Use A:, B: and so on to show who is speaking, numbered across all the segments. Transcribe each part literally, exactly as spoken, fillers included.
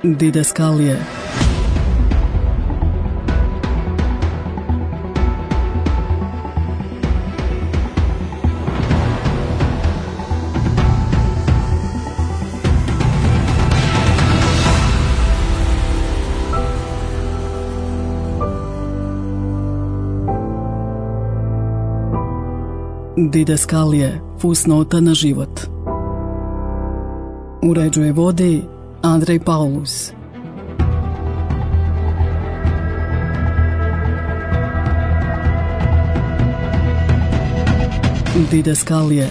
A: Didaskalije. Didaskalije, fusnota na život. Uređuje vodi Andrej Paulus. Didaskalije.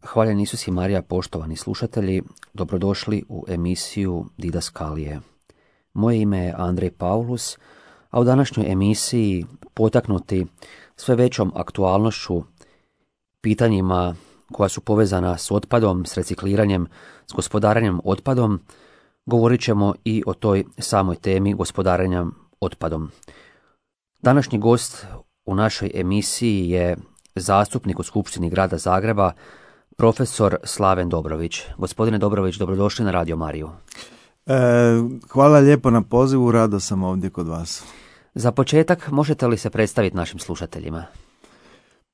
B: Hvaljen Isus i Marija, poštovani slušatelji, dobrodošli u emisiju Didaskalije. Moje ime je Andrej Paulus, a u današnjoj emisiji, potaknuti sve većom aktualnošću, pitanjima koja su povezana s otpadom, s recikliranjem, s gospodarenjem otpadom, govorit ćemo i o toj samoj temi gospodarenja otpadom. Današnji gost u našoj emisiji je zastupnik u Skupštini Grada Zagreba, profesor Slaven Dobrović. Gospodine Dobrović, dobrodošli na Radio Mariju.
C: E, hvala lijepo na pozivu, rado sam ovdje kod vas.
B: Za početak, možete li se predstaviti našim slušateljima?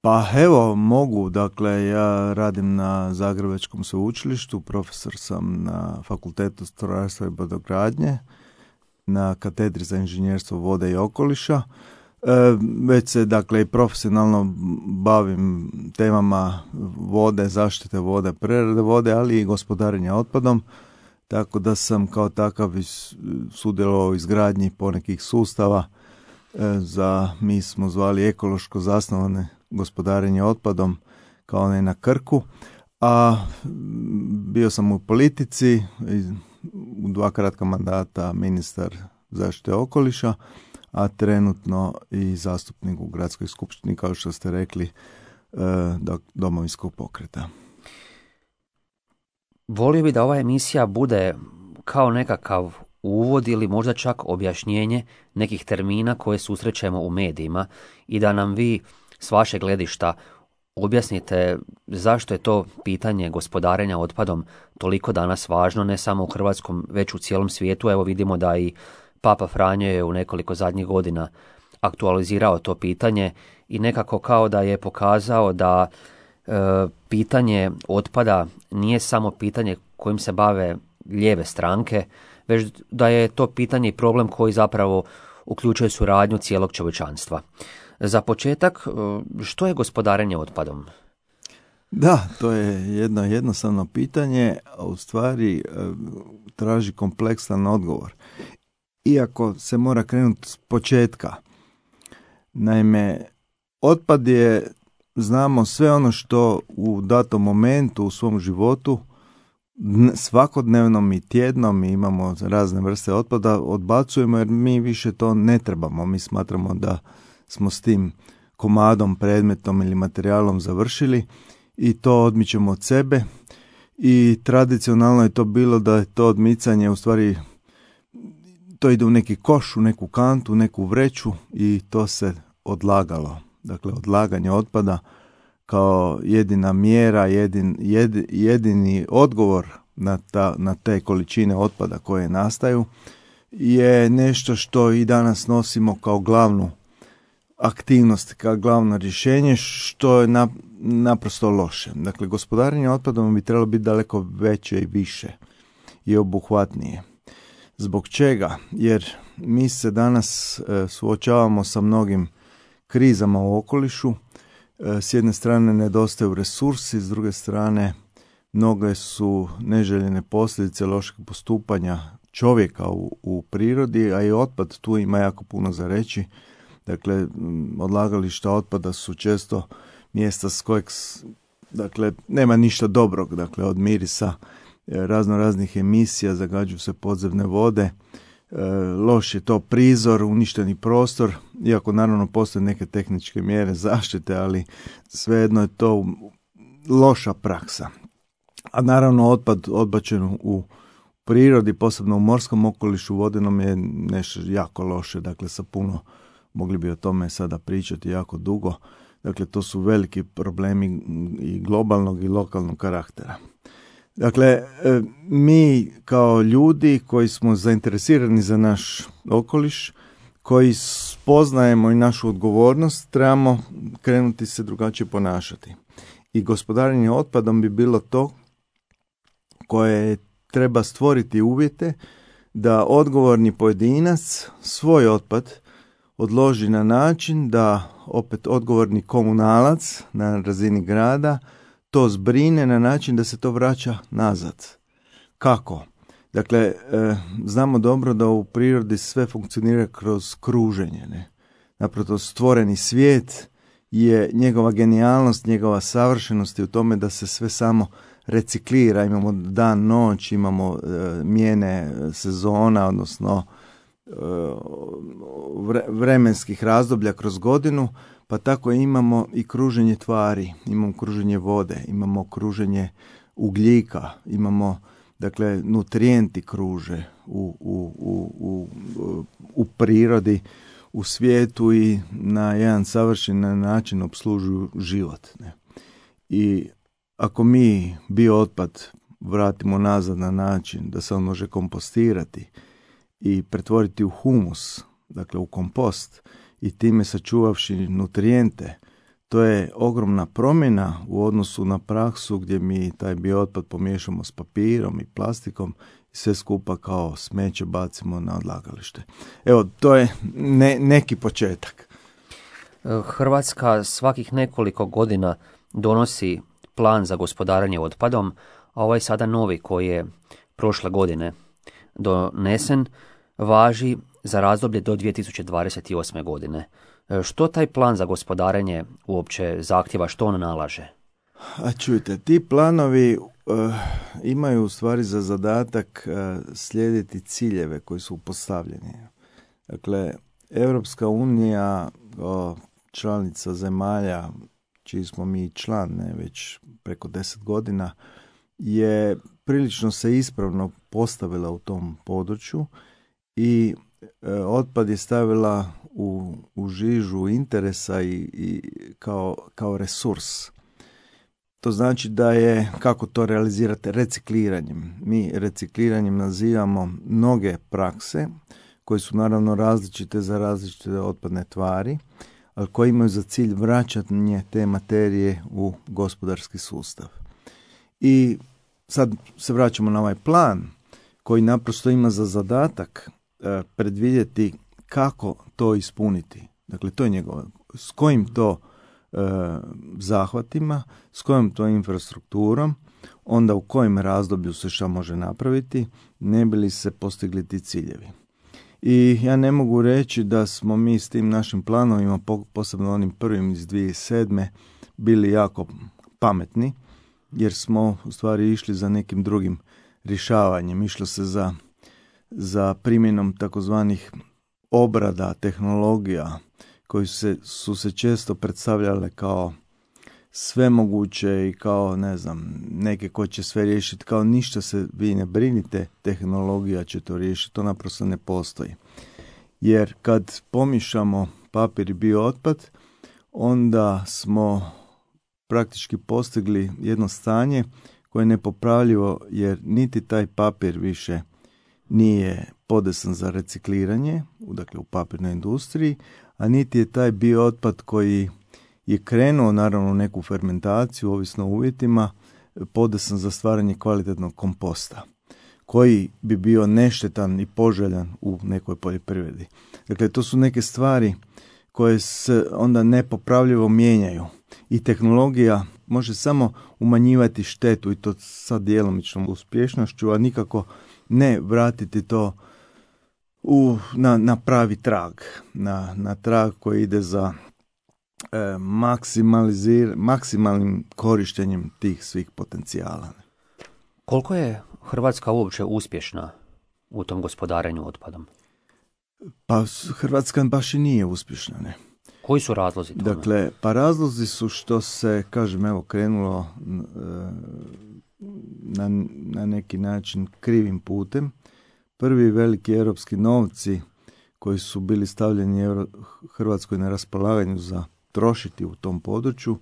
C: Pa evo, mogu. Dakle, ja radim na Zagrebačkom sveučilištu, profesor sam na Fakultetu strojarstva i brodogradnje, na katedri za inženjerstvo vode i okoliša. E, već se, dakle, i profesionalno bavim temama vode, zaštite vode, prerade vode, ali i gospodarenja otpadom, tako da sam kao takav sudjelovao u izgradnji ponekih sustava e, za, mi smo zvali ekološko zasnovane gospodarenje otpadom, kao onaj na Krku, a bio sam u politici, u dva kratka mandata ministar zaštite okoliša, a trenutno i zastupnik u Gradskoj skupštini, kao što ste rekli, Domovinskog pokreta.
B: Volio bi da ova emisija bude kao nekakav uvod ili možda čak objašnjenje nekih termina koje susrećemo u medijima i da nam vi s vašeg gledišta objasnite zašto je to pitanje gospodarenja otpadom toliko danas važno, ne samo u Hrvatskom, već u cijelom svijetu. Evo vidimo da i Papa Franjo je u nekoliko zadnjih godina aktualizirao to pitanje i nekako kao da je pokazao da e, pitanje otpada nije samo pitanje kojim se bave lijeve stranke, već da je to pitanje i problem koji zapravo uključuje suradnju cijelog čovječanstva. Za početak, što je gospodarenje otpadom?
C: Da, to je jedno jednostavno pitanje, a u stvari traži kompleksan odgovor. Iako se mora krenuti s početka. Naime, otpad je, znamo, sve ono što u datom momentu u svom životu, svakodnevnom i tjednom, mi imamo razne vrste otpada, odbacujemo jer mi više to ne trebamo. Mi smatramo da smo s tim komadom, predmetom ili materijalom završili i to odmičemo od sebe. I tradicionalno je to bilo da je to odmicanje u stvari, to ide u neki koš, u neku kantu, u neku vreću i to se odlagalo. Dakle, odlaganje otpada kao jedina mjera, jedin, jed, jedini odgovor na, ta, na te količine otpada koje nastaju je nešto što i danas nosimo kao glavnu aktivnost, kao glavno rješenje, što je na, naprosto loše. Dakle, gospodarenje otpadom bi trebalo biti daleko veće i više i obuhvatnije. Zbog čega? Jer mi se danas e, suočavamo sa mnogim krizama u okolišu. E, s jedne strane nedostaju resursi, s druge strane mnoge su neželjene posljedice lošeg postupanja čovjeka u, u prirodi, a i otpad tu ima jako puno za reći. Dakle, odlagališta otpada su često mjesta s kojeg, dakle, nema ništa dobrog, dakle, od mirisa, razno raznih emisija, zagađuju se podzemne vode, e, loš je to prizor, uništeni prostor, iako naravno postoje neke tehničke mjere zaštite, ali svejedno je to loša praksa. A naravno otpad odbačen u prirodi, posebno u morskom okolišu, vodenom, je nešto jako loše, dakle sa puno mogli bi o tome sada pričati jako dugo. Dakle, to su veliki problemi i globalnog i lokalnog karaktera. Dakle, mi kao ljudi koji smo zainteresirani za naš okoliš, koji spoznajemo i našu odgovornost, trebamo krenuti se drugačije ponašati. I gospodarenje otpadom bi bilo to koje treba stvoriti uvjete da odgovorni pojedinac svoj otpad odloži na način da opet odgovorni komunalac na razini grada to zbrine na način da se to vraća nazad. Kako? Dakle, e, znamo dobro da u prirodi sve funkcionira kroz kruženje. Ne? Naprosto stvoreni svijet je njegova genijalnost, njegova savršenost je u tome da se sve samo reciklira. Imamo dan, noć, imamo e, mijene sezona, odnosno e, vre, vremenskih razdoblja kroz godinu, pa tako imamo i kruženje tvari, imamo kruženje vode, imamo kruženje ugljika, imamo, dakle, nutrijenti kruže u, u, u, u, u prirodi, u svijetu i na jedan savršen način opslužuju život. Ne? I ako mi biootpad vratimo nazad na način da se on može kompostirati i pretvoriti u humus, dakle u kompost, i time sačuvavši nutrijente, to je ogromna promjena u odnosu na praksu gdje mi taj biootpad pomiješamo s papirom i plastikom i sve skupa kao smeće bacimo na odlagalište. Evo, to je ne, neki početak.
B: Hrvatska svakih nekoliko godina donosi plan za gospodarenje otpadom, a ovaj sada novi koji je prošle godine donesen važi za razdoblje do dvije tisuće dvadeset osme. godine. Što taj plan za gospodarenje uopće zahtjeva, što on nalaže?
C: A čujte, ti planovi uh, imaju u stvari za zadatak uh, slijediti ciljeve koji su postavljeni. Dakle, Europska unija, uh, članica zemalja, čiji smo mi član, ne, već preko deset godina, je prilično se ispravno postavila u tom području i e, otpad je stavila u, u žižu interesa i, i kao, kao resurs. To znači da je, kako to realizirate, recikliranjem. Mi recikliranjem nazivamo mnoge prakse koje su naravno različite za različite otpadne tvari, ali koji imaju za cilj vraćanje te materije u gospodarski sustav. I sad se vraćamo na ovaj plan koji naprosto ima za zadatak e, predvidjeti kako to ispuniti. Dakle, to je njegovo. S kojim to e, zahvatima, s kojom to infrastrukturom, onda u kojem razdoblju se šta može napraviti, ne bi li se postigli ti ciljevi. I ja ne mogu reći da smo mi s tim našim planovima, posebno onim prvim iz dvije tisuće sedme, bili jako pametni, jer smo u stvari išli za nekim drugim rješavanjem. Išlo se za, za primjenom takozvanih obrada, tehnologija, koji se, su se često predstavljale kao svemoguće i kao, ne znam, neke koje će sve riješiti, kao ništa se vi ne brinite, tehnologija će to riješiti, to naprosto ne postoji. Jer kad pomišamo papir i biootpad, onda smo praktički postigli jedno stanje koje je nepopravljivo, jer niti taj papir više nije podesan za recikliranje, dakle u papirnoj industriji, a niti je taj biootpad koji je krenuo naravno u neku fermentaciju, ovisno o uvjetima, podesan za stvaranje kvalitetnog komposta, koji bi bio neštetan i poželjan u nekoj poljoprivredi. Dakle, to su neke stvari koje se onda nepopravljivo mijenjaju i tehnologija može samo umanjivati štetu i to sa djelomičnom uspješnošću, a nikako ne vratiti to u, na, na pravi trag, na, na trag koji ide za e, maksimalizir, maksimalnim korištenjem tih svih potencijala.
B: Koliko je Hrvatska uopće uspješna u tom gospodarenju otpadom?
C: Pa Hrvatska baš i nije uspješna, ne.
B: Koji su razlozi tome?
C: Dakle, pa razlozi su što se, kažem, evo, krenulo na, na neki način krivim putem. Prvi veliki europski novci koji su bili stavljeni Euro, Hrvatskoj na raspolaganju za trošiti u tom području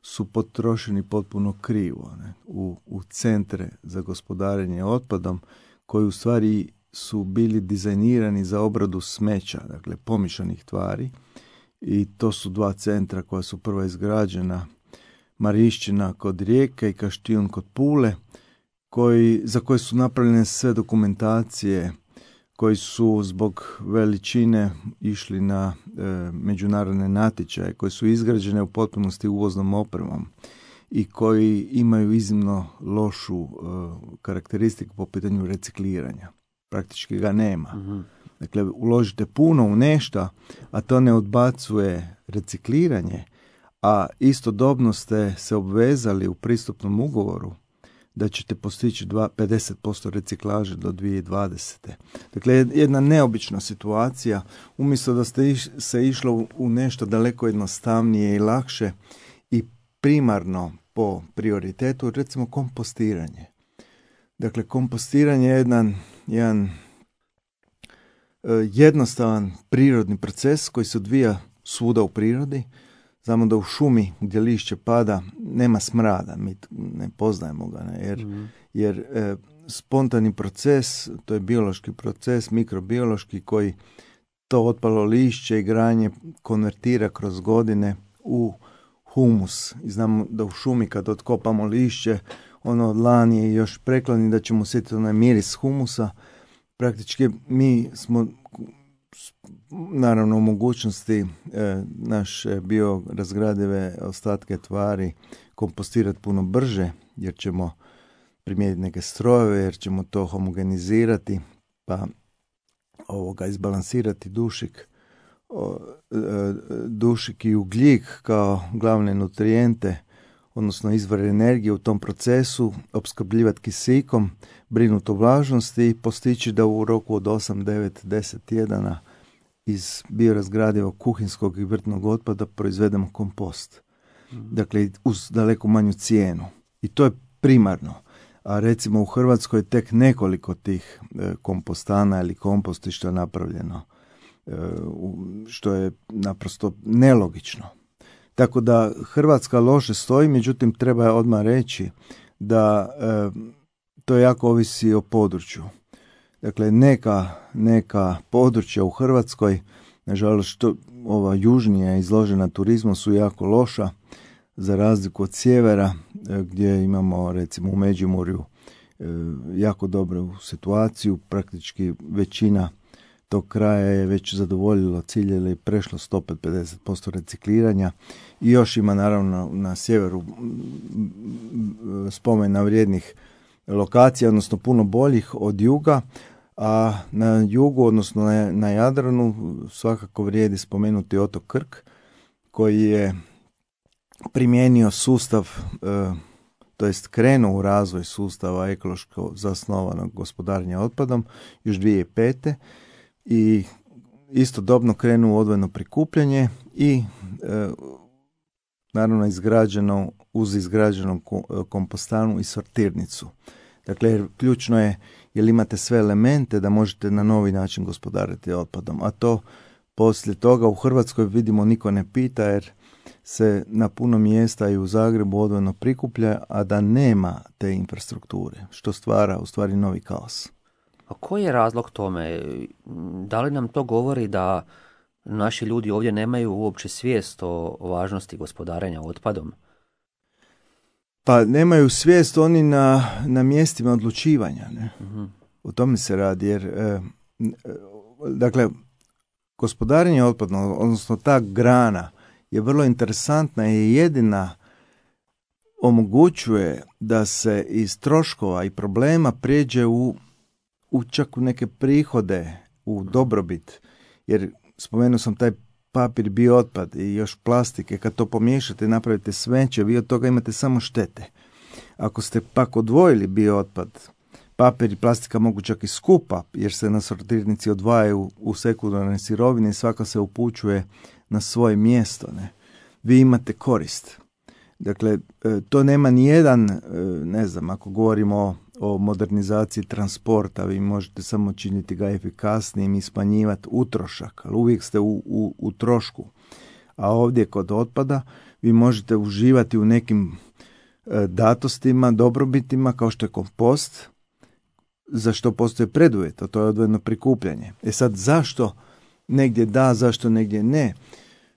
C: su potrošeni potpuno krivo, ne? U, u centre za gospodarenje otpadom koji u stvari su bili dizajnirani za obradu smeća, dakle pomišanih tvari, i to su dva centra koja su prva izgrađena, Marišćina kod Rijeke i Kaštijun kod Pule, koji, za koje su napravljene sve dokumentacije, koji su zbog veličine išli na e, međunarodne natječaje, koji su izgrađene u potpunosti uvoznom opremom i koji imaju iznimno lošu e, karakteristiku po pitanju recikliranja. Praktički ga nema. Mm-hmm. Dakle, uložite puno u nešto, a to ne odbacuje recikliranje, a istodobno ste se obvezali u pristupnom ugovoru da ćete postići pedeset posto reciklaže do dvije tisuće dvadesete. Dakle, jedna neobična situacija. Umjesto da ste iš, se išlo u nešto daleko jednostavnije i lakše i primarno po prioritetu, recimo kompostiranje. Dakle, kompostiranje je jedan, jedan jednostavan prirodni proces koji se odvija svuda u prirodi. Znamo da u šumi gdje lišće pada nema smrada, mi ne poznajemo ga, ne? jer, mm. jer e, spontani proces, to je biološki proces, mikrobiološki, koji to otpalo lišće i granje konvertira kroz godine u humus. I znamo da u šumi kad otkopamo lišće, ono dlan je još preklani, da ćemo osjetiti onaj miris humusa. Praktički mi smo naravno u mogućnosti e, naše biorazgradive ostatke tvari kompostirati puno brže, jer ćemo primijeniti neke strojeve, jer ćemo to homogenizirati, pa ovoga izbalansirati dušik, o, e, dušik i ugljik kao glavne nutrijente, odnosno izvore energije u tom procesu, opskrbljivati kisikom, brinuti o vlažnosti i postići da u roku od osam, devet, deset tjedana iz biorazgradivog kuhinskog i vrtnog otpada proizvedemo kompost. Mm. Dakle, uz daleko manju cijenu. I to je primarno. A recimo u Hrvatskoj tek nekoliko tih e, kompostana ili kompostišta napravljeno, e, što je naprosto nelogično. Tako da Hrvatska loše stoji, međutim treba odmah reći da e, to jako ovisi o području. Dakle, neka, neka područja u Hrvatskoj, nažalost što ova južnija izložena turizmu, su jako loša, za razliku od sjevera, e, gdje imamo recimo u Međimurju e, jako dobru situaciju, praktički većina tog kraja je već zadovoljilo cilj ili prešlo sto pedeset posto recikliranja i još ima naravno na sjeveru spomena vrijednih lokacija, odnosno puno boljih od juga, a na jugu, odnosno na, na Jadranu svakako vrijedi spomenuti otok Krk, koji je primijenio sustav, e, to jest krenuo u razvoj sustava ekološko zasnovanog gospodarenja otpadom još dvije tisuće pete. I istodobno krenuo odvojeno prikupljanje i e, naravno izgrađeno uz izgrađenom kompostanu i sortirnicu. Dakle, ključno je jer imate sve elemente da možete na novi način gospodariti otpadom, a to poslije toga u Hrvatskoj vidimo niko ne pita jer se na puno mjesta i u Zagrebu odvojeno prikuplja, a da nema te infrastrukture, što stvara u stvari novi kaos.
B: A koji je razlog tome? Da li nam to govori da naši ljudi ovdje nemaju uopće svijest o važnosti gospodarenja otpadom?
C: Pa nemaju svijest oni na, na mjestima odlučivanja. Ne? Uh-huh. O tome se radi. Jer, e, dakle, gospodarenje otpadom, odnosno ta grana, je vrlo interesantna i jedina omogućuje da se iz troškova i problema prijeđe u u čak u neke prihode, u dobrobit, jer spomenuo sam taj papir, biootpad i još plastike, kad to pomiješate i napravite smeće, vi od toga imate samo štete. Ako ste pak odvojili biootpad, papir i plastika mogu čak i skupa, jer se na sortirnici odvajaju u sekundarne sirovine i svaka se upućuje na svoje mjesto. Ne? Vi imate korist. Dakle, to nema ni jedan, ne znam, ako govorimo o o modernizaciji transporta, vi možete samo činiti ga efikasnijim i smanjivati utrošak, ali uvijek ste u, u, u trošku. A ovdje kod otpada vi možete uživati u nekim e, datostima, dobrobitima kao što je kompost, za što postoje preduvjet, a to je odvojeno prikupljanje. E sad, zašto negdje da, zašto negdje ne?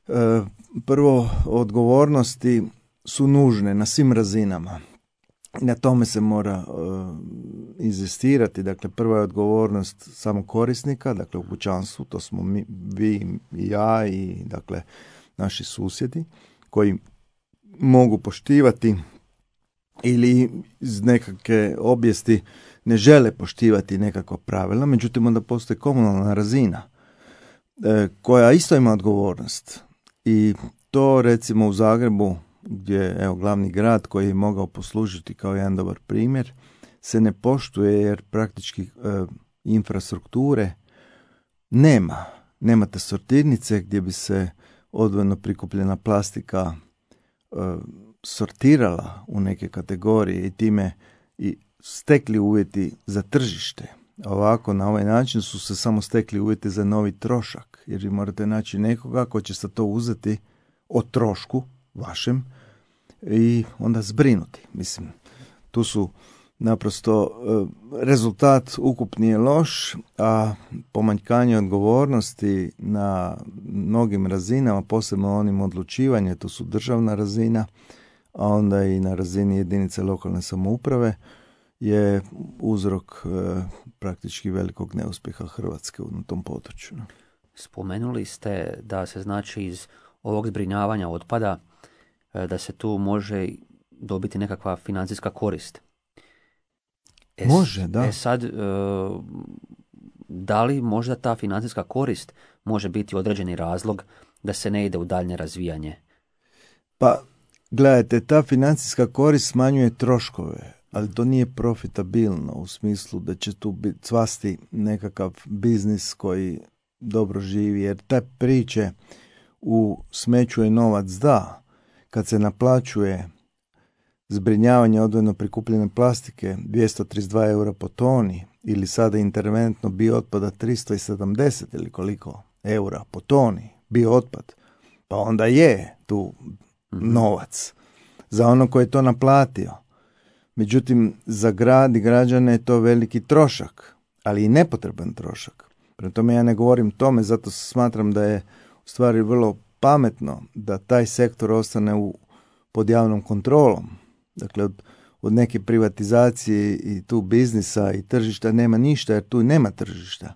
C: E, prvo, odgovornosti su nužne na svim razinama. I na tome se mora uh, inzistirati. Dakle, prva je odgovornost samog korisnika, dakle u kućanstvu, to smo mi, vi i ja i dakle naši susjedi, koji mogu poštivati ili iz nekakve obijesti ne žele poštivati nekakva pravila, međutim onda postoji komunalna razina e, koja isto ima odgovornost. I to recimo u Zagrebu, gdje evo glavni grad koji je mogao poslužiti kao jedan dobar primjer, se ne poštuje jer praktički e, infrastrukture nema. Nemate sortirnice gdje bi se odvojeno prikupljena plastika e, sortirala u neke kategorije i time i stekli uvjeti za tržište. Ovako, na ovaj način su se samo stekli uvjeti za novi trošak, jer vi morate naći nekoga ko će se to uzeti o trošku vašem i onda zbrinuti. Mislim, tu su naprosto rezultat ukupni je loš, a pomanjkanje odgovornosti na mnogim razinama, posebno onim odlučivanje, to su državna razina, a onda i na razini jedinice lokalne samouprave, je uzrok e, praktički velikog neuspjeha Hrvatske u tom području.
B: Spomenuli ste da se znači iz ovog zbrinjavanja otpada e, da se tu može dobiti nekakva financijska korist. E,
C: može, da.
B: E sad, e, da li možda ta financijska korist može biti određeni razlog da se ne ide u daljnje razvijanje?
C: Pa, gledajte, ta financijska korist smanjuje troškove, ali to nije profitabilno u smislu da će tu biti cvasti nekakav biznis koji dobro živi, jer te priče u smeću je novac da, kad se naplaćuje zbrinjavanje odvojeno prikupljene plastike dvjesto trideset dva eura po toni ili sada interventno biootpada tristo sedamdeset ili koliko eura po toni biootpad, pa onda je tu novac za ono koji je to naplatio. Međutim, za grad i građane je to veliki trošak, ali i nepotreban trošak. Prema tome ja ne govorim tome, zato smatram da je u stvari vrlo pametno da taj sektor ostane u, pod javnom kontrolom. Dakle, od, od neke privatizacije i tu biznisa i tržišta nema ništa, jer tu nema tržišta.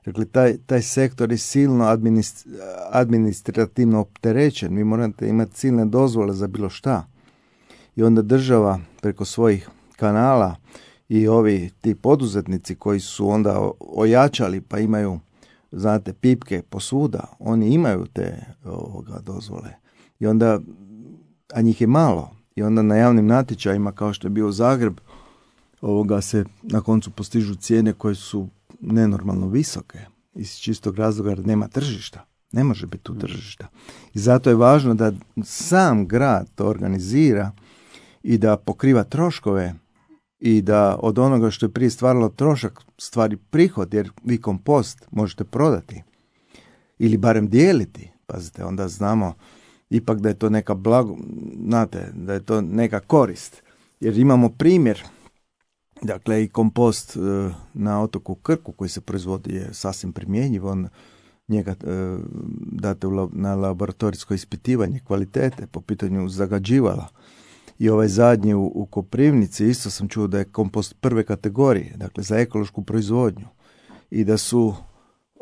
C: Dakle, taj, taj sektor je silno administ, administrativno opterećen. Vi morate imati silne dozvole za bilo šta. I onda država preko svojih kanala i ovi ti poduzetnici koji su onda ojačali pa imaju, znate, pipke posvuda, oni imaju te ovoga, dozvole. I onda, a njih je malo. I onda na javnim natječajima, kao što je bio Zagreb, ovoga se na koncu postižu cijene koje su nenormalno visoke. Iz čistog razloga jer nema tržišta. Ne može biti tu tržišta. I zato je važno da sam grad to organizira i da pokriva troškove i da od onoga što je prije stvaralo trošak stvari prihod, jer vi kompost možete prodati ili barem dijeliti. Pazite, onda znamo ipak da je to neka blago, znate, da je to neka korist. Jer imamo primjer, dakle i kompost na otoku Krku koji se proizvodi je sasvim primjenjiv, on njega e, date u, na laboratorijsko ispitivanje kvalitete po pitanju zagađivala. I ovaj zadnji u, u Koprivnici isto sam čuo da je kompost prve kategorije, dakle za ekološku proizvodnju. I da su e,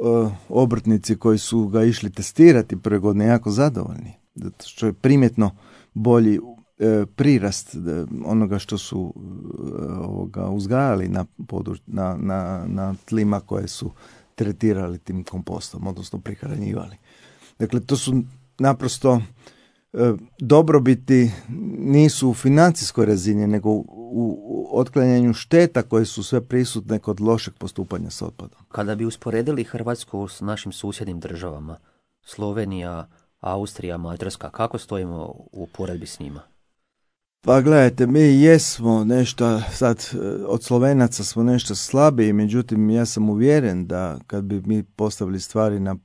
C: obrtnici koji su ga išli testirati prve godine jako zadovoljni. Zato što je primjetno bolji e, prirast e, onoga što su e, ovoga, uzgajali na, područ, na, na, na tlima koje su tretirali tim kompostom, odnosno prihranjivali. Dakle, to su naprosto e, dobrobiti nisu u financijskoj razini, nego u, u otklanjanju šteta koje su sve prisutne kod lošeg postupanja s otpadom.
B: Kada bi usporedili Hrvatsku s našim susjednim državama, Slovenija, Austrija, Mađarska, kako stojimo u poredbi s njima?
C: Pa gledajte, mi jesmo nešto, sad od Slovenaca smo nešto slabiji, međutim ja sam uvjeren da kad bi mi postavili stvari na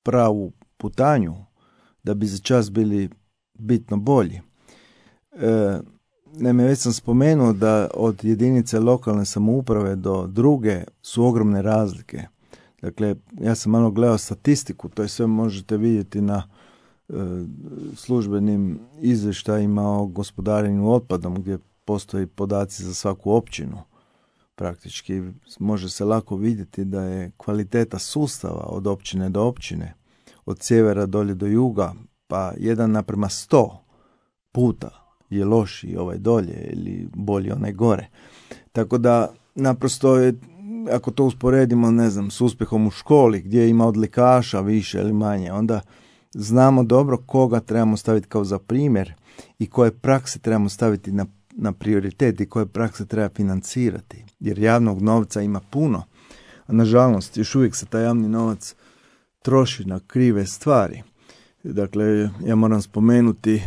C: pravu putanju, da bi za čas bili bitno bolji. E, Naime, već sam spomenuo da od jedinice lokalne samouprave do druge su ogromne razlike. Dakle, ja sam malo gledao statistiku, to je sve možete vidjeti na e, službenim izvještajima o gospodarenju otpadom, gdje postoji podaci za svaku općinu. Praktički može se lako vidjeti da je kvaliteta sustava od općine do općine, od sjevera dolje do juga, pa jedan naprema sto puta je lošiji ovaj dolje ili bolji onaj gore. Tako da naprosto je, ako to usporedimo, ne znam, s uspjehom u školi gdje ima odlikaša više ili manje, onda znamo dobro koga trebamo staviti kao za primjer i koje prakse trebamo staviti na, na prioritet i koje prakse treba financirati. Jer javnog novca ima puno, a nažalost još uvijek se taj javni novac troši na krive stvari. Dakle, ja moram spomenuti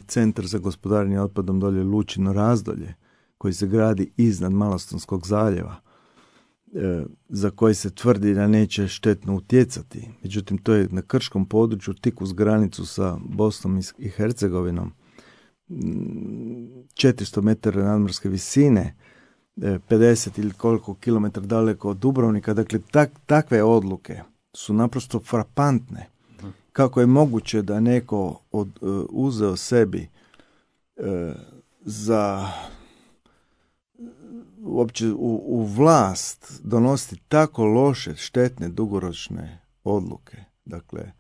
C: Centar za gospodarenje otpadom dolje Lučino Razdolje, koji se gradi iznad Malostonskog zaljeva, za koji se tvrdi da neće štetno utjecati. Međutim, to je na krškom području, tik uz granicu sa Bosnom i Hercegovinom, četiristo metara nadmorske visine, pedeset ili koliko kilometra daleko od Dubrovnika. Dakle, tak, takve odluke su naprosto frapantne. Kako je moguće da neko od, uh, uzeo sebi uh, za uopće u, u vlast donositi tako loše, štetne, dugoročne odluke. Dakle,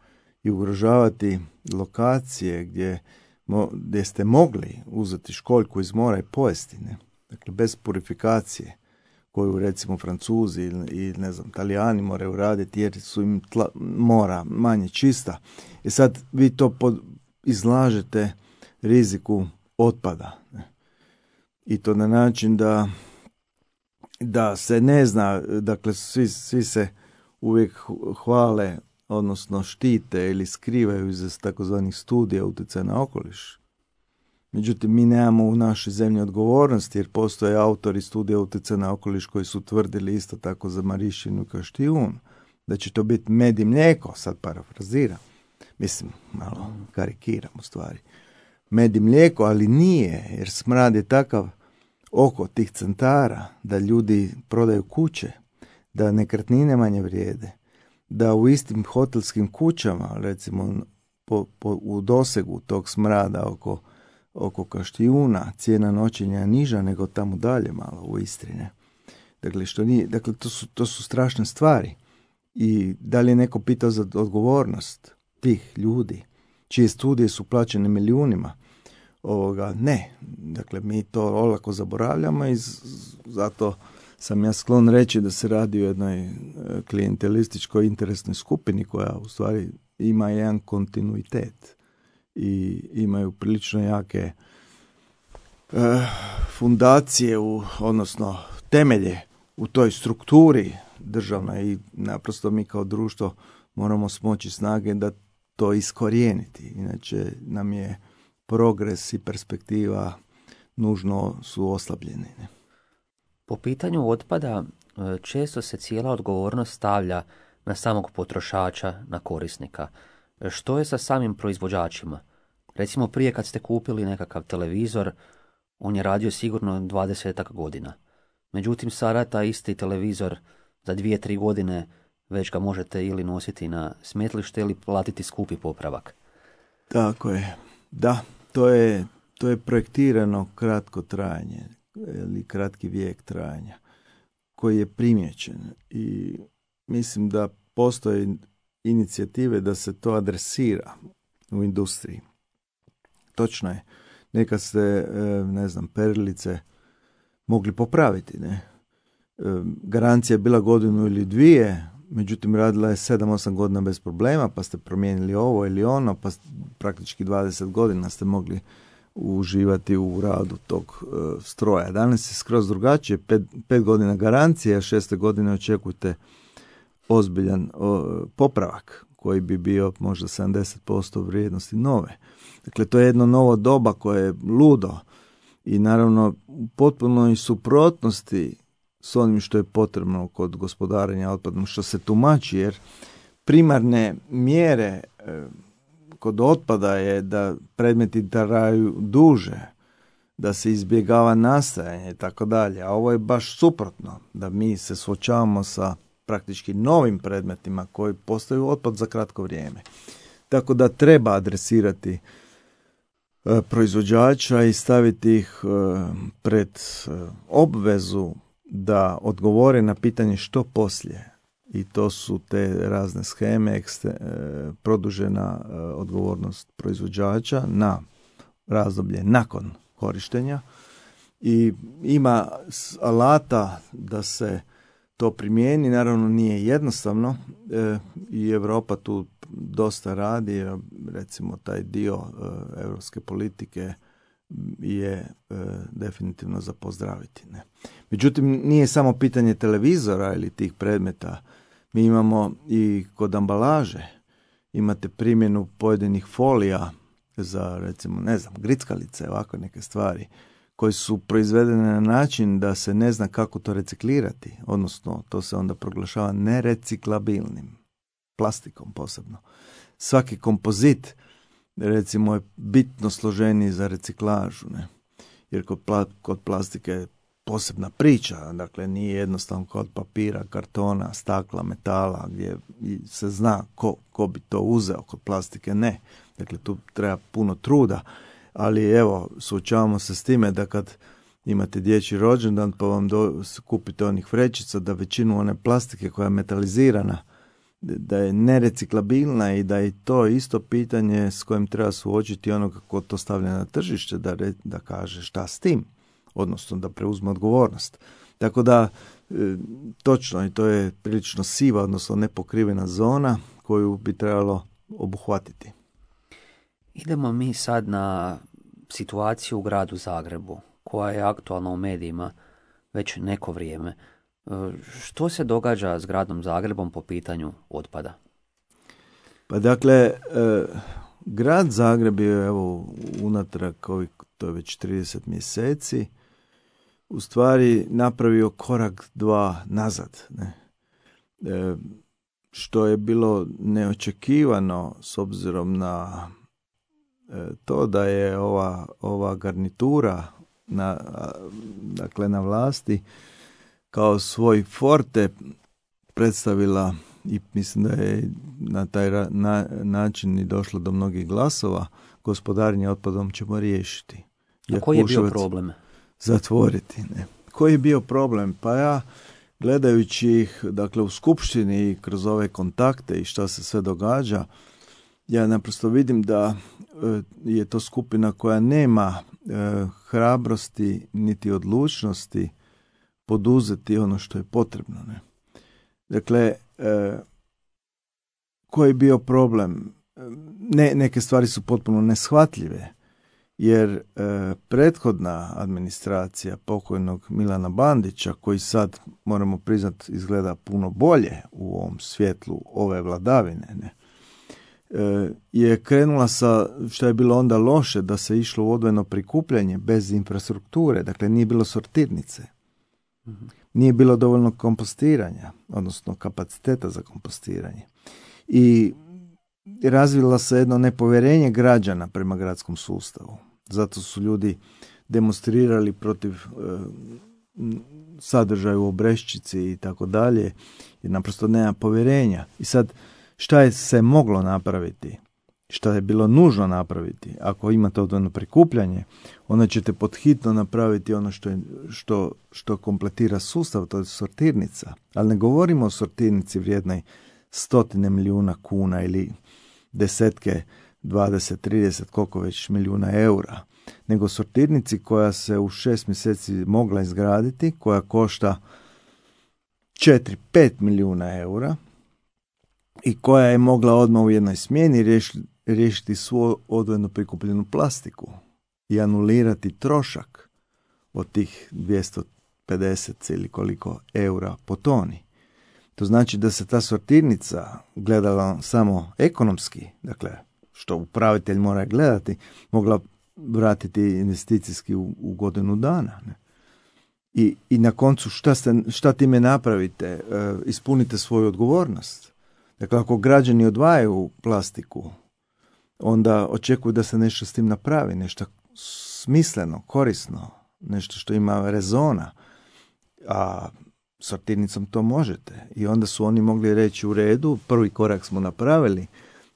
C: i ugrožavati lokacije gdje, mo, gdje ste mogli uzeti školjku iz mora i pojesti, ne? Dakle, bez purifikacije, koju recimo Francuzi i ne znam, Talijani moraju raditi jer su im tla, mora manje čista. I sad vi to pod, izlažete riziku otpada. Ne? I to na način da, da se ne zna, dakle svi, svi se uvijek hvale, odnosno štite ili skrivaju iz takozvanih studija utjecaja na okoliš. Međutim, mi nemamo u našoj zemlji odgovornosti jer postoje autori studija utjecaja na okoliš koji su tvrdili isto tako za Marišćinu i Kaštijun, da će to biti med i mlijeko, sad parafraziram, mislim, malo karikiram u stvari, med i mlijeko, ali nije, jer smrad je takav oko tih centara da ljudi prodaju kuće, da nekretnine manje vrijede, da u istim hotelskim kućama, recimo po, po, u dosegu tog smrada oko oko Kaštijuna, cijena noćenja je niža nego tamo dalje malo u Istrine. Dakle, što nije, dakle to, su, to su strašne stvari. I da li je neko pitao za odgovornost tih ljudi, čije studije su plaćene milijunima? Ovoga, ne. Dakle, mi to olako zaboravljamo i zato sam ja sklon reći da se radi o jednoj klijentelističkoj interesnoj skupini koja u stvari ima jedan kontinuitet i imaju prilično jake uh, fundacije, u, odnosno temelje u toj strukturi državnoj i naprosto mi kao društvo moramo smoći snage da to iskorijeniti. Inače nam je progres i perspektiva nužno su oslabljeni. Ne?
B: Po pitanju otpada često se cijela odgovornost stavlja na samog potrošača, na korisnika. Što je sa samim proizvođačima? Recimo prije kad ste kupili nekakav televizor, on je radio sigurno dvadesetak godina. Međutim, sada taj isti televizor za dvije, tri godine već ga možete ili nositi na smetlište ili platiti skupi popravak.
C: Tako je. Da, to je, to je projektirano kratko trajanje ili kratki vijek trajanja koji je primijećen i mislim da postoje inicijative da se to adresira u industriji. Točno je, nekad ste, ne znam, perilice mogli popraviti, ne? Garancija je bila godinu ili dvije, međutim radila je sedam osam godina bez problema, pa ste promijenili ovo ili ono, pa praktički dvadeset godina ste mogli uživati u radu tog uh, stroja. Danas je skroz drugačije, pet, pet godina garancije, a šeste godine očekujte ozbiljan uh, popravak koji bi bio možda sedamdeset posto vrijednosti nove. Dakle, to je jedno novo doba koje je ludo i naravno u potpunoj suprotnosti s onim što je potrebno kod gospodarenja otpadom, što se tumači, jer primarne mjere e, kod otpada je da predmeti traju duže, da se izbjegava nastajanje i tako dalje, a ovo je baš suprotno, da mi se suočavamo sa praktički novim predmetima koji postaju otpad za kratko vrijeme. Tako da treba adresirati e, proizvođača i staviti ih e, pred e, obvezu da odgovore na pitanje što poslije. I to su te razne sheme, ekste, e, produžena e, odgovornost proizvođača na razdoblje nakon korištenja i ima alata da se to primijeni. Naravno nije jednostavno e, i Europa tu dosta radi, recimo taj dio e, europske politike je e, definitivno za pozdraviti. Ne? Međutim, nije samo pitanje televizora ili tih predmeta. Mi imamo i kod ambalaže, imate primjenu pojedinih folija za, recimo, ne znam, grickalice, ovako neke stvari, koje su proizvedene na način da se ne zna kako to reciklirati, odnosno to se onda proglašava nereciklabilnim, plastikom posebno. Svaki kompozit, recimo, je bitno složeniji za reciklažu, ne? Jer kod, pla- kod plastike je posebna priča, dakle nije jednostavno kod papira, kartona, stakla, metala, gdje se zna ko, ko bi to uzeo, kod plastike ne. Dakle, tu treba puno truda, ali evo, suočavamo se s time da kad imate dječji rođendan pa vam do, kupite onih vrećica, da većinu one plastike koja je metalizirana, da je nereciklabilna i da je to isto pitanje s kojim treba suočiti ono kako to stavlja na tržište, da, re, da kaže šta s tim, odnosno da preuzme odgovornost. Tako da, e, točno, i to je prilično siva, odnosno nepokrivena zona koju bi trebalo obuhvatiti.
B: Idemo mi sad na situaciju u gradu Zagrebu, koja je aktualna u medijima već neko vrijeme. Što se događa s gradom Zagrebom po pitanju otpada?
C: Pa dakle, e, grad Zagreb je evo unatrag ovih, to je već trideset mjeseci, u stvari napravio korak dva nazad, ne? E, što je bilo neočekivano s obzirom na e, to da je ova, ova garnitura na, dakle na vlasti kao svoj forte predstavila i mislim da je na taj ra, na, način i došlo do mnogih glasova, gospodarenje otpadom ćemo riješiti.
B: A koji je bio problem?
C: Zatvoriti. Ne. Koji je bio problem? Pa ja, gledajući ih, dakle, u skupštini i kroz ove kontakte i šta se sve događa, ja naprosto vidim da e, je to skupina koja nema e, hrabrosti niti odlučnosti poduzeti ono što je potrebno. Ne. Dakle, e, koji je bio problem? Ne, neke stvari su potpuno neshvatljive, jer e, prethodna administracija pokojnog Milana Bandića, koji sad, moramo priznati, izgleda puno bolje u ovom svjetlu ove vladavine, ne, e, je krenula sa, što je bilo onda loše, da se išlo u odvojeno prikupljanje bez infrastrukture, dakle nije bilo sortirnice. Mm-hmm. Nije bilo dovoljno kompostiranja, odnosno kapaciteta za kompostiranje. I razvila se jedno nepovjerenje građana prema gradskom sustavu. Zato su ljudi demonstrirali protiv e, sadržaja u Obreščici i tako dalje, jer naprosto nema povjerenja. I sad, šta je se moglo napraviti? Šta je bilo nužno napraviti? Ako imate odvojeno prikupljanje, onda ćete podhitno napraviti ono što, je, što, što kompletira sustav, to je sortirnica. Ali ne govorimo o sortirnici vrijednoj stotine milijuna kuna ili desetke, dvadeset, trideset, koliko već milijuna eura, nego sortirnici koja se u šest mjeseci mogla izgraditi, koja košta četiri pet milijuna eura i koja je mogla odmah u jednoj smjeni riješiti, riješiti svu odvojeno prikupljenu plastiku i anulirati trošak od tih dvjesto pedeset ili koliko eura po toni. To znači da se ta sortirnica gledala samo ekonomski, dakle, što upravitelj mora gledati, mogla vratiti investicijski u, u godinu dana. Ne? I, I na koncu šta, ste, šta time napravite? E, ispunite svoju odgovornost. Dakle, ako građani odvajaju plastiku, onda očekuju da se nešto s tim napravi, nešto smisleno, korisno, nešto što ima rezona, a sortirnicom to možete. I onda su oni mogli reći u redu, prvi korak smo napravili,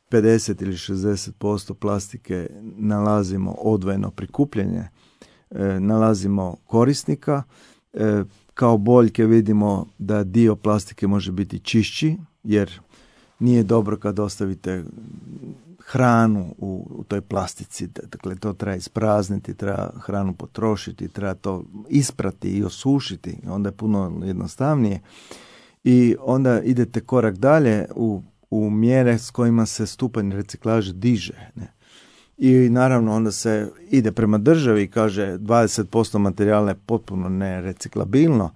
C: pedeset ili šezdeset posto plastike nalazimo odvojeno prikupljanje, e, nalazimo korisnika, e, kao boljke vidimo da dio plastike može biti čišći, jer nije dobro kad ostavite hranu u, u toj plastici, dakle to treba isprazniti, treba hranu potrošiti, treba to isprati i osušiti, onda je puno jednostavnije. I onda idete korak dalje u, u mjere s kojima se stupanj reciklaže diže. Ne? I naravno onda se ide prema državi i kaže dvadeset posto materijala je potpuno nereciklabilno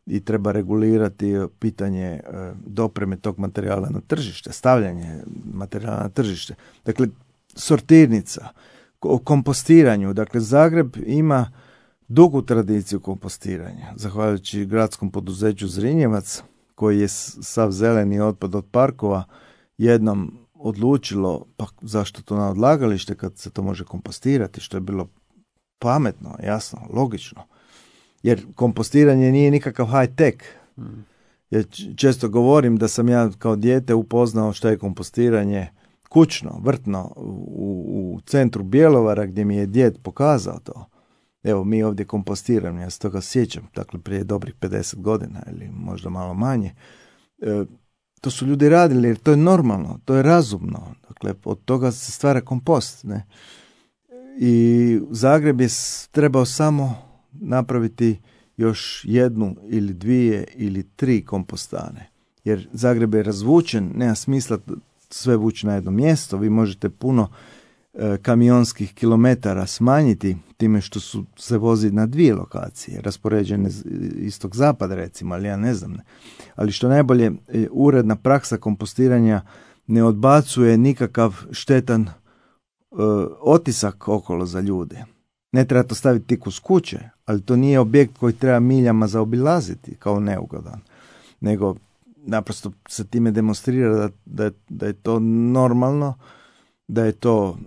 C: i treba regulirati pitanje dopreme tog materijala na tržište, stavljanje materijala na tržište. Dakle, sortirnica, o kompostiranju. Dakle, Zagreb ima dugu tradiciju kompostiranja, zahvaljujući gradskom poduzeću Zrinjevac, koji je sav zeleni otpad od parkova jednom odlučilo, pa zašto to na odlagalište kad se to može kompostirati, što je bilo pametno, jasno, logično. Jer kompostiranje nije nikakav high tech. Mm. Ja često govorim da sam ja kao dijete upoznao što je kompostiranje kućno, vrtno, u, u centru Bjelovara gdje mi je djed pokazao to. Evo, mi ovdje kompostiramo, ja se toga sjećam, dakle prije dobrih pedeset godina ili možda malo manje. E, to su ljudi radili jer to je normalno, to je razumno. Dakle, od toga se stvara kompost. Ne? I Zagreb je trebao samo napraviti još jednu ili dvije ili tri kompostane. Jer Zagreb je razvučen, nema smisla sve vući na jedno mjesto. Vi možete puno e, kamionskih kilometara smanjiti time što su se vozi na dvije lokacije, raspoređene istog zapada recimo, ali ja ne znam. Ne. Ali što najbolje, e, uredna praksa kompostiranja ne odbacuje nikakav štetan e, otisak okolo za ljude. Ne treba to staviti tik uz kuće, ali to nije objekt koji treba miljama zaobilaziti kao neugodan, nego naprosto se time demonstrira da, da, da je to normalno, da je to,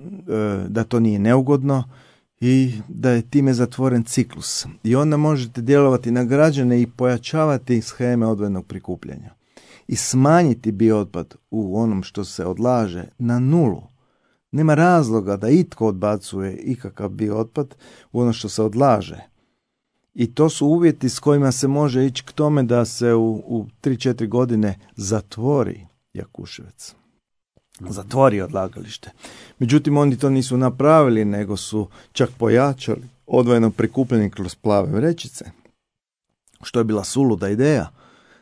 C: da to nije neugodno i da je time zatvoren ciklus. I onda možete djelovati na građane i pojačavati sheme odvojenog prikupljanja i smanjiti biootpad u onom što se odlaže na nulu. Nema razloga da itko odbacuje ikakav biootpad u ono što se odlaže. I to su uvjeti s kojima se može ići k tome da se u, u tri četiri godine zatvori Jakuševac. Zatvori odlagalište. Međutim, oni to nisu napravili, nego su čak pojačali odvojeno prikupljanje kroz plave vrećice. Što je bila suluda ideja,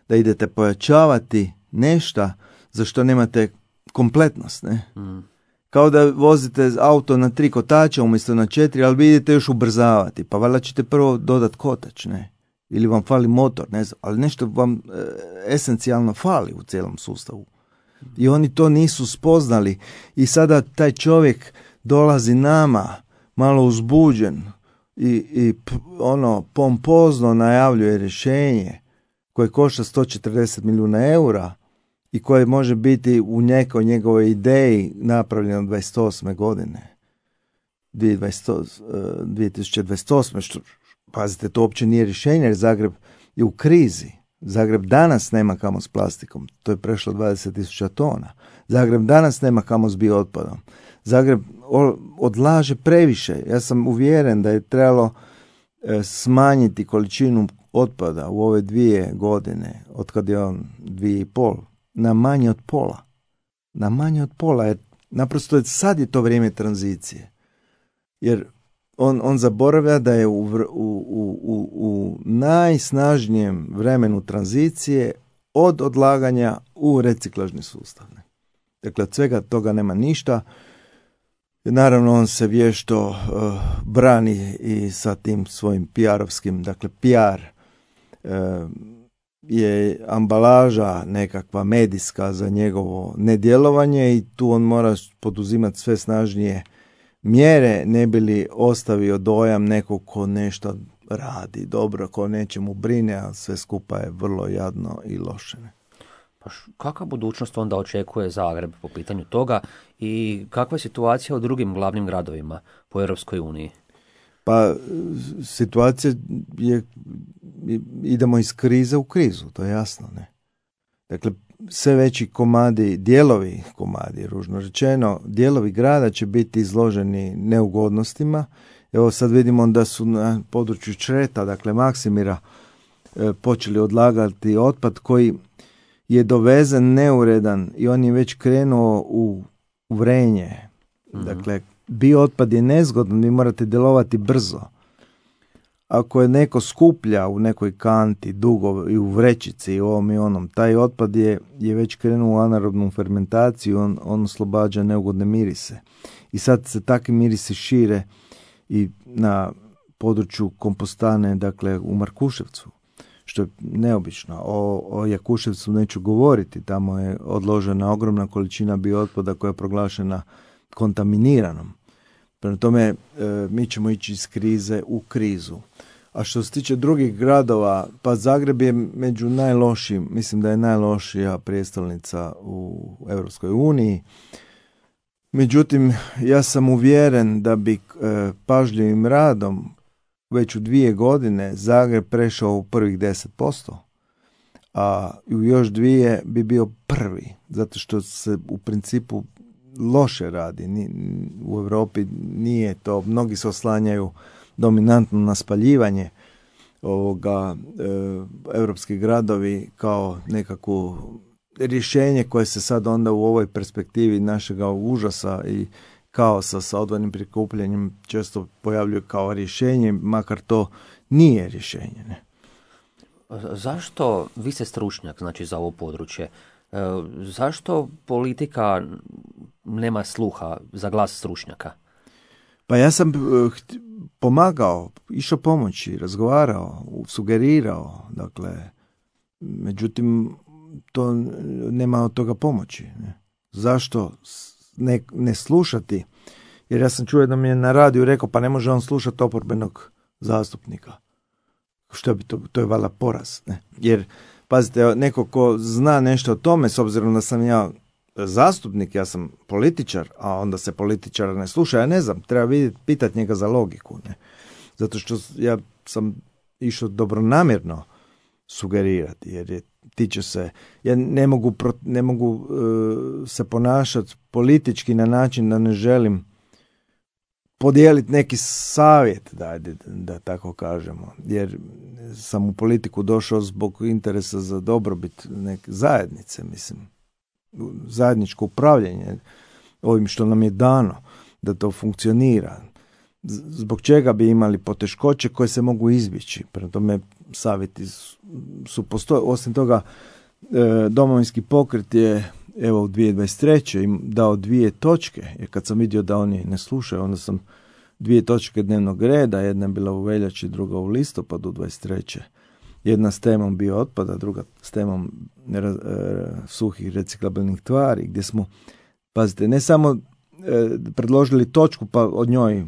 C: da idete pojačavati nešto za što nemate kompletnost, ne? Mm. Kao da vozite auto na tri kotača umjesto na četiri, ali vi idete još ubrzavati. Pa valjda ćete prvo dodat kotač, ne? Ili vam fali motor, ne znam. Ali nešto vam e, esencijalno fali u cijelom sustavu. I oni to nisu spoznali. I sada taj čovjek dolazi nama malo uzbuđen i, i p, ono pompozno najavljuje rješenje koje košta sto četrdeset milijuna eura i koje može biti u nekoj njegovoj ideji napravljeno dvadeset osme godine. dvije tisuće dvadeset osme. Što, pazite, to uopće nije rješenje jer Zagreb je u krizi. Zagreb danas nema kamo s plastikom. To je prešlo dvadeset tisuća tona. Zagreb danas nema kamo s biootpadom. Zagreb odlaže previše. Ja sam uvjeren da je trebalo smanjiti količinu otpada u ove dvije godine, od kad je on dvije i pol, na manje od pola. Na manje od pola, jer naprosto je, sad je to vrijeme tranzicije. Jer on, on zaboravlja da je u, u, u, u, u najsnažnijem vremenu tranzicije od odlaganja u reciklažni sustav. Dakle, od svega toga nema ništa. Naravno, on se vješto uh, brani i sa tim svojim P R-ovskim, dakle P R uh, je ambalaža nekakva medijska za njegovo nedjelovanje i tu on mora poduzimati sve snažnije mjere, ne bi li ostavio dojam nekog ko nešto radi dobro, ko nečemu brine, a sve skupa je vrlo jadno i loše.
B: Pa kakva budućnost onda očekuje Zagreb po pitanju toga i kakva je situacija u drugim glavnim gradovima po Europskoj uniji?
C: Pa situacija je, idemo iz krize u krizu, to je jasno, ne? Dakle, sve veći komadi, dijelovi komadi, ružno rečeno, dijelovi grada će biti izloženi neugodnostima. Evo sad vidimo da su na području Čreta, dakle Maksimira, počeli odlagati otpad koji je dovezen neuredan i on je već krenuo u vrenje. Mm-hmm. Dakle, biootpad je nezgodan, vi morate djelovati brzo. Ako je neko skuplja u nekoj kanti, dugo i u vrećici i ovom i onom, taj otpad je, je već krenuo u anaerobnu fermentaciju, on, on oslobađa neugodne mirise. I sad se takvi mirisi šire i na području kompostane, dakle u Markuševcu, što je neobično. O, o Jakuševcu neću govoriti, tamo je odložena ogromna količina biootpada koja je proglašena kontaminiranom. Prema tome, e, mi ćemo ići iz krize u krizu. A što se tiče drugih gradova, pa Zagreb je među najlošijim, mislim da je najlošija prijestolnica u Europskoj uniji. Međutim, ja sam uvjeren da bi e, pažljivim radom već u dvije godine Zagreb prešao u prvih deset posto, a u još dvije bi bio prvi, zato što se u principu loše radi. U Europi nije to, mnogi se oslanjaju dominantno na spaljivanje ovoga, e, europski gradovi kao nekakvo rješenje koje se sad onda u ovoj perspektivi našega užasa i kaosa sa odvojenim prikupljanjem često pojavljuje kao rješenje, makar to nije rješenje. Ne?
B: Zašto, vi ste stručnjak znači za ovo područje, e, zašto politika nema sluha za glas stručnjaka?
C: Pa ja sam uh, pomagao, išao pomoći, razgovarao, sugerirao, dakle, međutim, to nema od toga pomoći. Ne? Zašto ne, ne slušati? Jer ja sam čuo da mi je na radiju rekao, pa ne može on slušati oporbenog zastupnika. Što bi to, to je valjda poraz. Ne? Jer, pazite, neko ko zna nešto o tome, s obzirom da sam ja zastupnik, ja sam političar, a onda se političara ne sluša, ja ne znam, treba vidjeti, pitati njega za logiku. Ne? Zato što ja sam išao dobronamjerno sugerirati, jer je, tiče se, ja ne mogu, ne mogu uh, se ponašati politički na način da ne želim podijeliti neki savjet, da, da, da tako kažemo, jer sam u politiku došao zbog interesa za dobrobit neke zajednice, mislim, zajedničko upravljanje ovim što nam je dano, da to funkcionira. Zbog čega bi imali poteškoće koje se mogu izbjeći. Prema tome, savjeti su postoje. Osim toga, Domovinski pokret je evo u dvije tisuće dvadeset treće im dao dvije točke, jer kad sam vidio da oni ne slušaju, onda sam dvije točke dnevnog reda, jedna je bila u veljači, druga u listopadu dvadeset treće Jedna s temom bio otpada, druga s temom e, suhih reciklabilnih tvari, gdje smo, pazite, ne samo e, predložili točku pa od njoj e,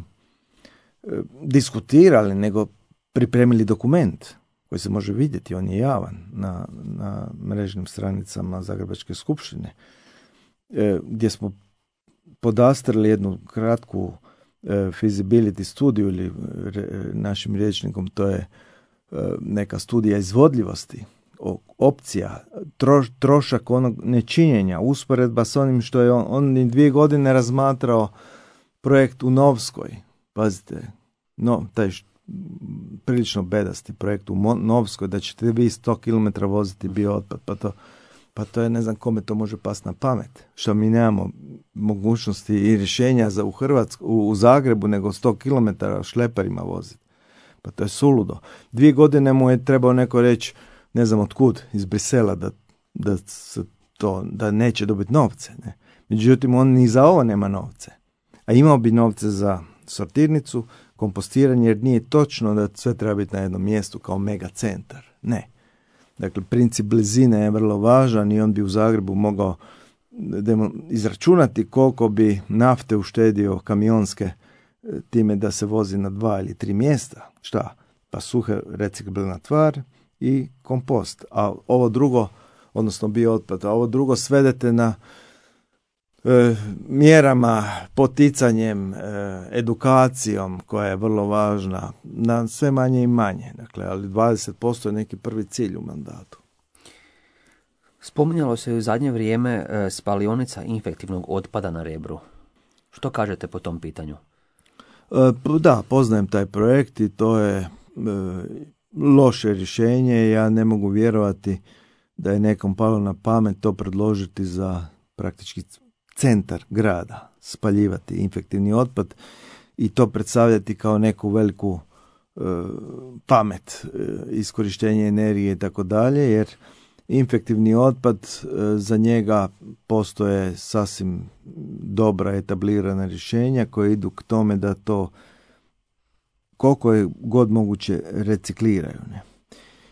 C: diskutirali, nego pripremili dokument koji se može vidjeti, on je javan na, na mrežnim stranicama Zagrebačke skupštine, e, gdje smo podastrli jednu kratku e, feasibility studiju ili re, našim rječnikom to je neka studija izvodljivosti, opcija, troš, trošak onog nečinjenja, usporedba s onim što je on, on dvije godine razmatrao projekt u Novskoj. Pazite, no, taj š, prilično bedasti projekt u Novskoj, da ćete vi sto kilometara voziti bio otpad, pa to, pa to je, ne znam kome to može pasti na pamet. Što mi nemamo mogućnosti i rješenja za u Hrvatsku, u, u Zagrebu, nego sto kilometara šleperima voziti. Pa to je suludo. Dvije godine mu je trebao neko reći, ne znam otkud, iz Brisela, da, da, se to, da neće dobiti novce. Ne? Međutim, on ni za ovo nema novce. A imao bi novce za sortirnicu, kompostiranje, jer nije točno da sve treba biti na jednom mjestu kao mega centar. Ne. Dakle, princip blizine je vrlo važan i on bi u Zagrebu mogao izračunati koliko bi nafte uštedio kamionske time da se vozi na dva ili tri mjesta. Šta? Pa suhe reciklabilna tvar i kompost. A ovo drugo, odnosno biootpad, a ovo drugo svedete na e, mjerama, poticanjem, e, edukacijom koja je vrlo važna, na sve manje i manje. Dakle, ali dvadeset posto je neki prvi cilj u mandatu.
B: Spominjalo se u zadnje vrijeme e, spalionica infektivnog otpada na Rebru. Što kažete po tom pitanju?
C: E, da, poznajem taj projekt i to je e, loše rješenje. Ja ne mogu vjerovati da je nekom palo na pamet to predložiti za praktički centar grada, spaljivati infektivni otpad i to predstavljati kao neku veliku e, pamet, e, iskorištenje energije i tako dalje, jer infektivni otpad, e, za njega postoje sasvim dobra etablirana rješenja koje idu k tome da to koliko je god moguće recikliraju. Ne?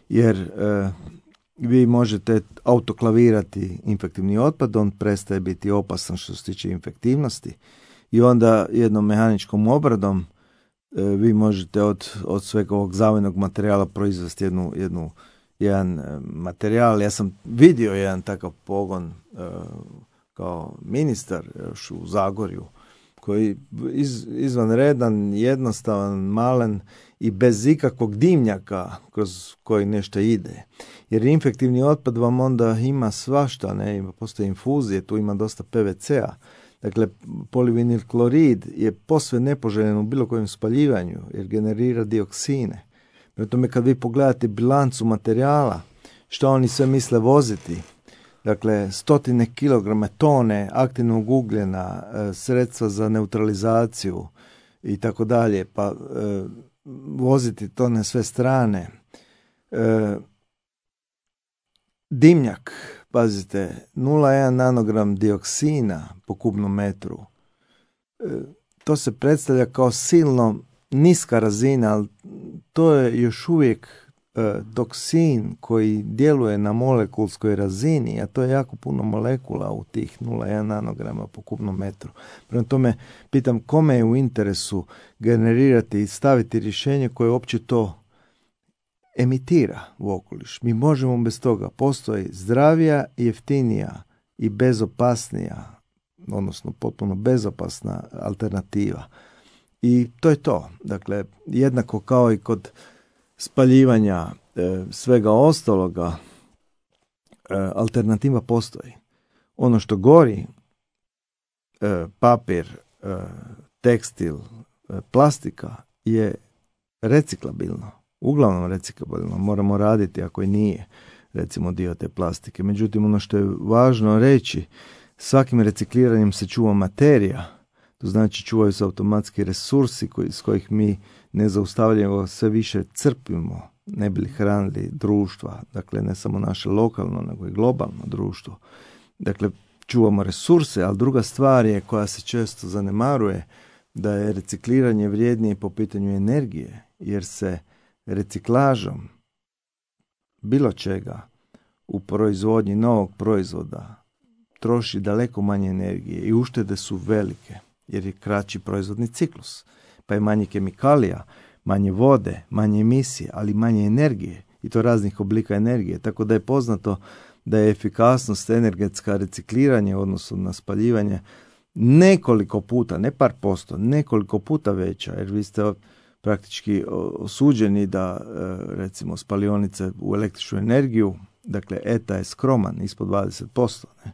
C: Jer e, vi možete autoklavirati infektivni otpad, on prestaje biti opasan što se tiče infektivnosti i onda jednom mehaničkom obradom e, vi možete od, od svega ovog zavojnog materijala proizvesti jednu, jednu, jedan e, materijal. Ja sam vidio jedan takav pogon e, kao ministar još u Zagorju, koji iz, izvanredan, jednostavan, malen i bez ikakvog dimnjaka kroz koji nešto ide. Jer infektivni otpad vam onda ima svašta, ne, postoje infuzije, tu ima dosta P V C-a. Dakle, polivinil klorid je posve nepoželjen u bilo kojem spaljivanju jer generira dioksine. Prema tome, kad vi pogledate bilancu materijala, što oni sve misle voziti, dakle, stotine kilograma, tone aktivnog ugljena, sredstva za neutralizaciju i tako dalje, pa e, voziti to na sve strane. E, dimnjak, pazite, nula zarez jedan nanogram dioksina po kubnom metru. E, to se predstavlja kao silno niska razina, ali to je još uvijek e, toksin koji djeluje na molekulskoj razini, a to je jako puno molekula u tih nula zarez jedan nanograma po kubnom metru. Prema tome, pitam kome je u interesu generirati i staviti rješenje koje uopće to emitira u okoliš. Mi možemo bez toga. Postoji zdravija, jeftinija i bezopasnija, odnosno potpuno bezopasna alternativa. I to je to. Dakle, jednako kao i kod spaljivanja e, svega ostaloga, e, alternativa postoji. Ono što gori, e, papir, e, tekstil, e, plastika je reciklabilno. Uglavnom reciklabilno. Moramo raditi ako i nije, recimo, dio te plastike. Međutim, ono što je važno reći, svakim recikliranjem se čuva materija. To znači čuvaju se automatski resursi koji, s kojih mi nezaustavljivo sve više crpimo, ne bi li hranili društva, dakle ne samo naše lokalno, nego i globalno društvo. Dakle, čuvamo resurse, ali druga stvar je koja se često zanemaruje, da je recikliranje vrijednije po pitanju energije, jer se reciklažom bilo čega u proizvodnji novog proizvoda troši daleko manje energije i uštede su velike, jer je kraći proizvodni ciklus, pa je manje kemikalija, manje vode, manje emisije, ali manje energije, i to raznih oblika energije, tako da je poznato da je efikasnost energetska recikliranja u odnosu na spaljivanje nekoliko puta, ne par posto, nekoliko puta veća, jer vi ste praktički osuđeni da, recimo, spalionice u električnu energiju, dakle E T A je skroman, ispod dvadeset posto. Ne?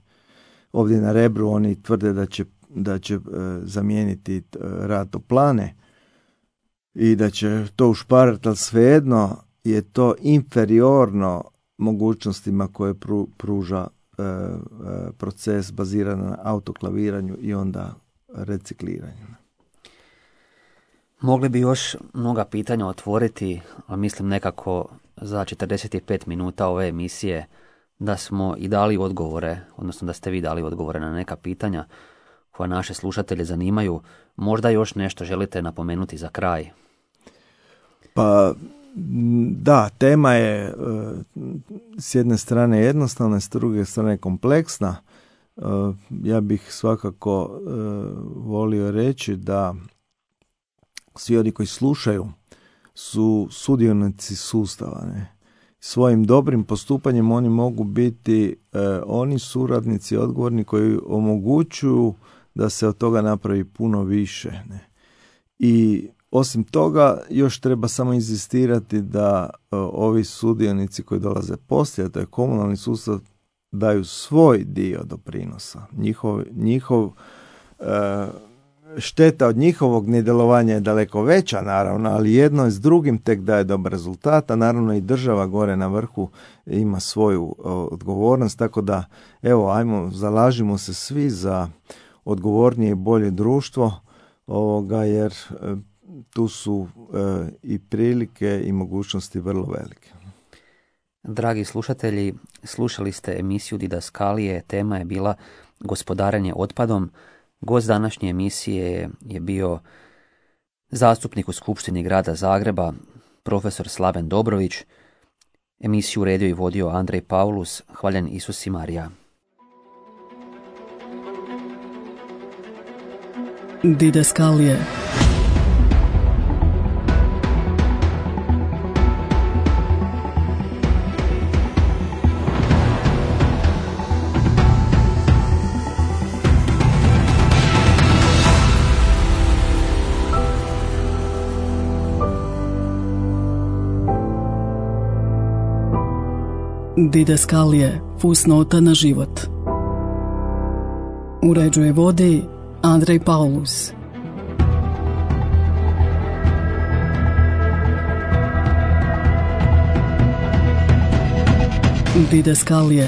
C: Ovdje na Rebru oni tvrde da će, da će e, zamijeniti rad toplane i da će to ušparati, ali svejedno je to inferiorno mogućnostima koje pru, pruža e, e, proces baziran na autoklaviranju i onda recikliranju.
B: Mogli bi još mnoga pitanja otvoriti, ali mislim nekako za četrdeset pet minuta ove emisije da smo i dali odgovore, odnosno da ste vi dali odgovore na neka pitanja koja naše slušatelje zanimaju. Možda još nešto želite napomenuti za kraj?
C: Pa Da, tema je s jedne strane jednostavna, s druge strane kompleksna. Ja bih svakako volio reći da svi oni koji slušaju su sudionici sustava. Ne? Svojim dobrim postupanjem oni mogu biti oni suradnici odgovorni koji omogućuju da se od toga napravi puno više. Ne? I osim toga, još treba samo inzistirati da uh, ovi sudionici koji dolaze poslije, to je komunalni sustav, daju svoj dio doprinosa. Njihov, njihov uh, šteta od njihovog nedjelovanja je daleko veća, naravno, ali jedno s drugim tek daje dobar rezultat, a naravno i država gore na vrhu ima svoju uh, odgovornost, tako da, evo, ajmo, zalažimo se svi za odgovornije i bolje društvo, ovoga, jer uh, tu su e, i prilike i mogućnosti vrlo velike.
B: Dragi slušatelji, slušali ste emisiju Didaskalije, tema je bila gospodarenje otpadom. Gost današnje emisije je bio zastupnik u Skupštini grada Zagreba, profesor Slaven Dobrović. Emisiju uredio i vodio Andrej Paulus. Hvaljen Isus i Marija.
A: Didaskalije. Didaskalije, fusnota na život. Uređuje vodi Andrej Paulus. Didaskalije.